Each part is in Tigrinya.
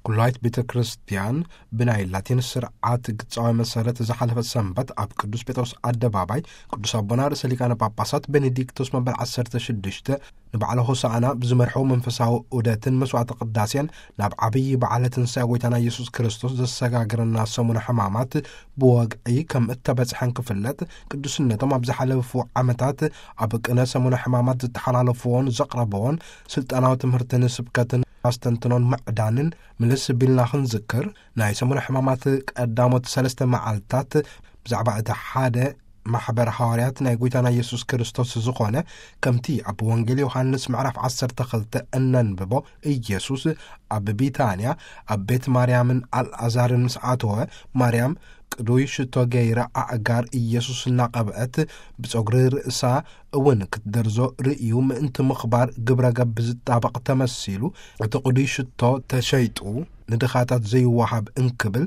ኩላይት ቤተ ክርስቲያን ብናይ ላቲን ስርዓት ግጻዊ መሰረት ዝሓለፈ ሰንበት ኣብ ቅዱስ ጴጥሮስ ኣደባባይ ቅዱስ ኣቦና ርእሰ ሊቃነ ጳጳሳት ቤኔዲክቶስ መበል ዓሰርተ ሽዱሽተ ንበዓለ ሆሳዕና ብዝመርሐው መንፈሳዊ ዑደትን መስዋዕተ ቅዳሴን ናብ ዓብዪ በዓለ ትንሳኤ ጎይታና ኢየሱስ ክርስቶስ ዘሰጋግረና ሰሙነ ሕማማት ብወግዒ ከም እተበጽሐን ክፍለጥ፣ ቅዱስነቶም ኣብ ዝሓለፉ ዓመታት ኣብ ቅነ ሰሙነ ሕማማት ዝተሓላለፍዎን ዘቕረብዎን ስልጣናዊ ትምህርትን ስብከትን ኣስተንትኖን ምዕዳንን ምልስ ቢልና ክንዝክር፣ ናይ ሰሙነ ሕማማት ቀዳሞት ሰለስተ መዓልታት ብዛዕባ እቲ ሓደ ማሕበር ሃዋርያት ናይ ጎይታና ኢየሱስ ክርስቶስ ዝኾነ፣ ከምቲ ኣብ ወንጌል ዮሃንስ ምዕራፍ ዓሰርተ ክልተ እነንብቦ፣ ኢየሱስ ኣብ ቢታንያ ኣብ ቤት ማርያምን ኣልኣዛርን ምስ ኣተወ፣ ማርያም ቅዱይ ሽቶ ገይራ ኣእጋር ኢየሱስ እናቐብአት ብጸጉሪ ርእሳ እውን ክትደርዞ ርእዩ ምእንቲ ምኽባር ግብረ ገብ ዝጣበቕ ተመሲሉ፣ እቲ ቅዱይ ሽቶ ተሸይጡ ንድኻታት ዘይወሃብ እንክብል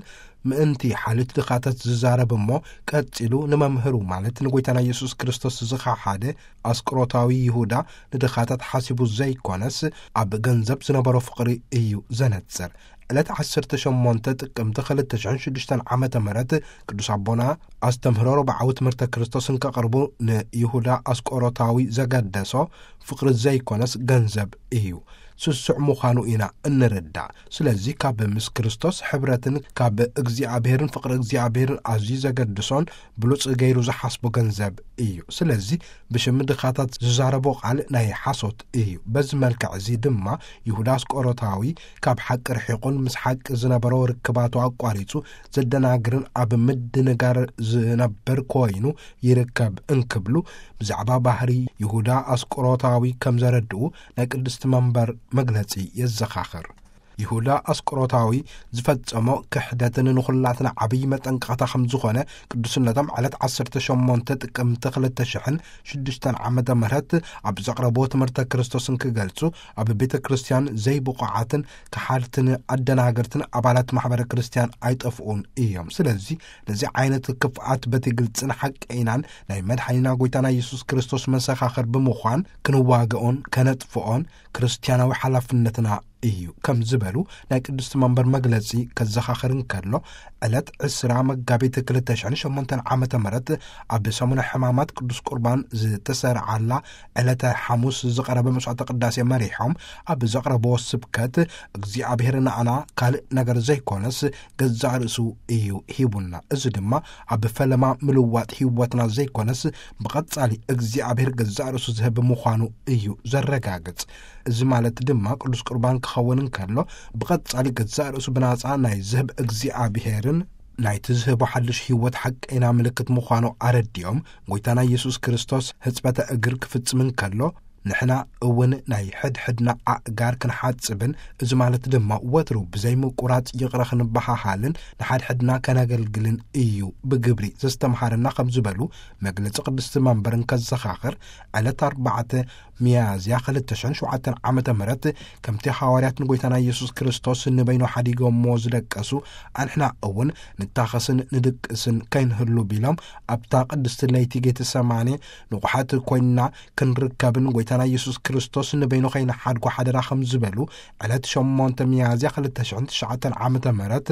ምእንቲ ሓልዮት ድኻታት ዝዛረብ እሞ፣ ቀጺሉ ንመምህሩ ማለት ንጎይታና ኢየሱስ ክርስቶስ ዝኸሓደ ኣስቆሮታዊ ይሁዳ ንድኻታት ሓሲቡ ዘይኮነስ፣ ኣብ ገንዘብ ዝነበሮ ፍቕሪ እዩ ዘነጽር። ዕለት ዓሰርተ ሸሞንተ ጥቅምቲ ክልተ ሽሕን ሽዱሽተን ዓመተ ምህረት ቅዱስ ኣቦና ኣስተምህሮ ረብዓዊ ትምህርተ ክርስቶስ እንከቕርቡ ንይሁዳ ኣስቆሮታዊ ዘገደሶ ፍቕሪ ዘይኮነስ ገንዘብ እዩ። ስሱዕ ምዃኑ ኢና እንርዳእ። ስለዚ ካብ ምስ ክርስቶስ ሕብረትን ካብ እግዚኣብሔርን ፍቕሪ እግዚኣብሔርን ኣዝዩ ዘገድሶን ብሉጽ ገይሩ ዝሓስቦ ገንዘብ እዩ። ስለዚ ብሽም ድኻታት ዝዛረቦ ቃል ናይ ሓሶት እዩ። በዚ መልክዕ እዚ ድማ ይሁዳ ኣስቆሮታዊ ካብ ሓቂ ርሒቑን ምስ ሓቂ ዝነበሮ ርክባቱ ኣቋሪጹ ዘደናግርን ኣብ ምድንጋር ዝነብር ኮይኑ ይርከብ እንክብሉ ብዛዕባ ባህሪ ይሁዳ ኣስቆሮታዊ ከም ዘረድኡ ናይ ቅድስቲ መንበር መግለጺ የዘኻኽር። ይሁዳ ኣስቆሮታዊ ዝፈጸሞ ክሕደትን ንኹላትና ዓብዪ መጠንቀቕታ ከም ዝኾነ ቅዱስነቶም ዕለት ዓሰርተ ሸሞንተ ጥቅምቲ ክልተ ሽሕን ሽዱሽተን ዓመተ ምህረት ኣብ ዘቕረብዎ ትምህርተ ክርስቶስን ክገልጹ፣ ኣብ ቤተ ክርስቲያን ዘይብቑዓትን ከሓድትን ኣደናገርትን ኣባላት ማሕበረ ክርስቲያን ኣይጠፍኡን እዮም። ስለዚ ነዚ ዓይነት ክፍኣት በቲ ግልጽን ሓቀይናን ናይ መድሓኒና ጎይታና ኢየሱስ ክርስቶስ መሰኻኽር ብምዃን ክንዋግኦን ከነጥፍኦን ክርስቲያናዊ ሓላፍነትና እዩ ከም ዝበሉ ናይ ቅድስቲ መንበር መግለጺ ከዘኻኽር እንከሎ፣ ዕለት ዕስራ መጋቢት ክልተ ሽሕን ሸሞንተን ዓመተ ምህረት ኣብ ሰሙነ ሕማማት ቅዱስ ቁርባን ዝተሰርዓላ ዕለተ ሓሙስ ዝቐረበ መስዋዕተ ቅዳሴ መሪሖም ኣብ ዘቕረብዎ ስብከት፣ እግዚኣብሔር ንኣና ካልእ ነገር ዘይኮነስ ገዛእ ርእሱ እዩ ሂቡና። እዚ ድማ ኣብ ፈለማ ምልዋጥ ህይወትና ዘይኮነስ ብቐጻሊ እግዚኣብሔር ገዛእ ርእሱ ዝህብ ምዃኑ እዩ ዘረጋግጽ። እዚ ማለት ድማ ቅዱስ ቁርባን ክኸውን እንከሎ ብቐጻሊ ገዛእ ርእሱ ብናጻ ናይ ዝህብ እግዚኣብሔርን ናይቲ ዝህቦ ሓድሽ ህይወት ሓቀይና ምልክት ምዃኑ ኣረዲኦም፣ ጎይታና ኢየሱስ ክርስቶስ ሕጽበተ እግር ክፍጽም እንከሎ ንሕና እውን ናይ ሕድሕድና ኣእጋር ክንሓጽብን፣ እዚ ማለት ድማ ወትሩ ብዘይምቁራጽ ይቕረ ክንበሃሃልን ንሓድሕድና ከነገልግልን እዩ ብግብሪ ዘስተምሃረና ከም ዝበሉ መግለጺ ቅድስቲ መንበር እንከዘኻኽር፣ ዕለት ኣርባዕተ ሚያዝያ ክልተ ሽሕን ሸውዓተን ዓመተ ምህረት ከምቲ ሃዋርያት ንጎይታና ኢየሱስ ክርስቶስ ንበይኑ ሓዲጎሞ ዝደቀሱ፣ ኣንሕና እውን ንታኸስን ንድቅስን ከይንህሉ ቢሎም ኣብታ ቅድስቲ ለይቲ ጌተሰማኔ ንቑሓት ኮይንና ክንርከብን ጎይታና ኢየሱስ ክርስቶስ ንበይኑ ከይንሓድጎ ሓደራ ከም ዝበሉ ዕለት ሸሞንተ ሚያዝያ ክልተ ሽሕን ትሽዓተን ዓመተ ምህረት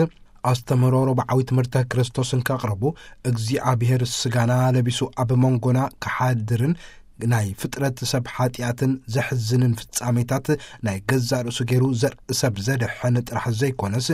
ኣስተምህሮ ረብዓዊ ትምህርተ ክርስቶስ እንከቕርቡ፣ እግዚኣብሔር ስጋና ለቢሱ ኣብ መንጎና ክሓድርን ናይ ፍጥረት ሰብ ሓጢኣትን ዘሕዝንን ፍጻሜታት ናይ ገዛእ ርእሱ ገይሩ ዘርኢ ሰብ ዘድሕን ጥራሕ ዘይኮነስ፣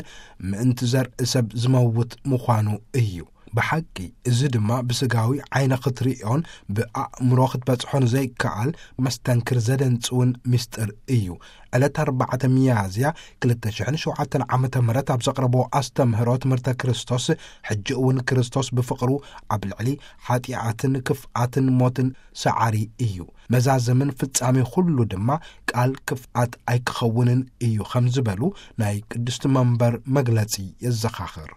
ምእንቲ ዘርኢ ሰብ ዝመውት ምዃኑ እዩ። ብሓቂ፣ እዚ ድማ ብስጋዊ ዓይነ ክትርእዮን ብኣእምሮ ክትበጽሖን ዘይከኣል መስተንክር ዘደንጽውን ምስጢር እዩ። ዕለት ኣርባዕተ ሚያዝያ ክልተ ሽሕን ሸውዓተን ዓመተ ምህረት ኣብ ዘቕረቦ ኣስተምህሮ ትምህርተ ክርስቶስ፣ ሕጂ እውን ክርስቶስ ብፍቕሩ ኣብ ልዕሊ ሓጢኣትን ክፍኣትን ሞትን ሰዓሪ እዩ። መዛዘምን ፍጻሜ ኩሉ ድማ ቃል ክፍኣት ኣይክኸውንን እዩ ከም ዝበሉ ናይ ቅድስቲ መንበር መግለጺ የዘኻኽር።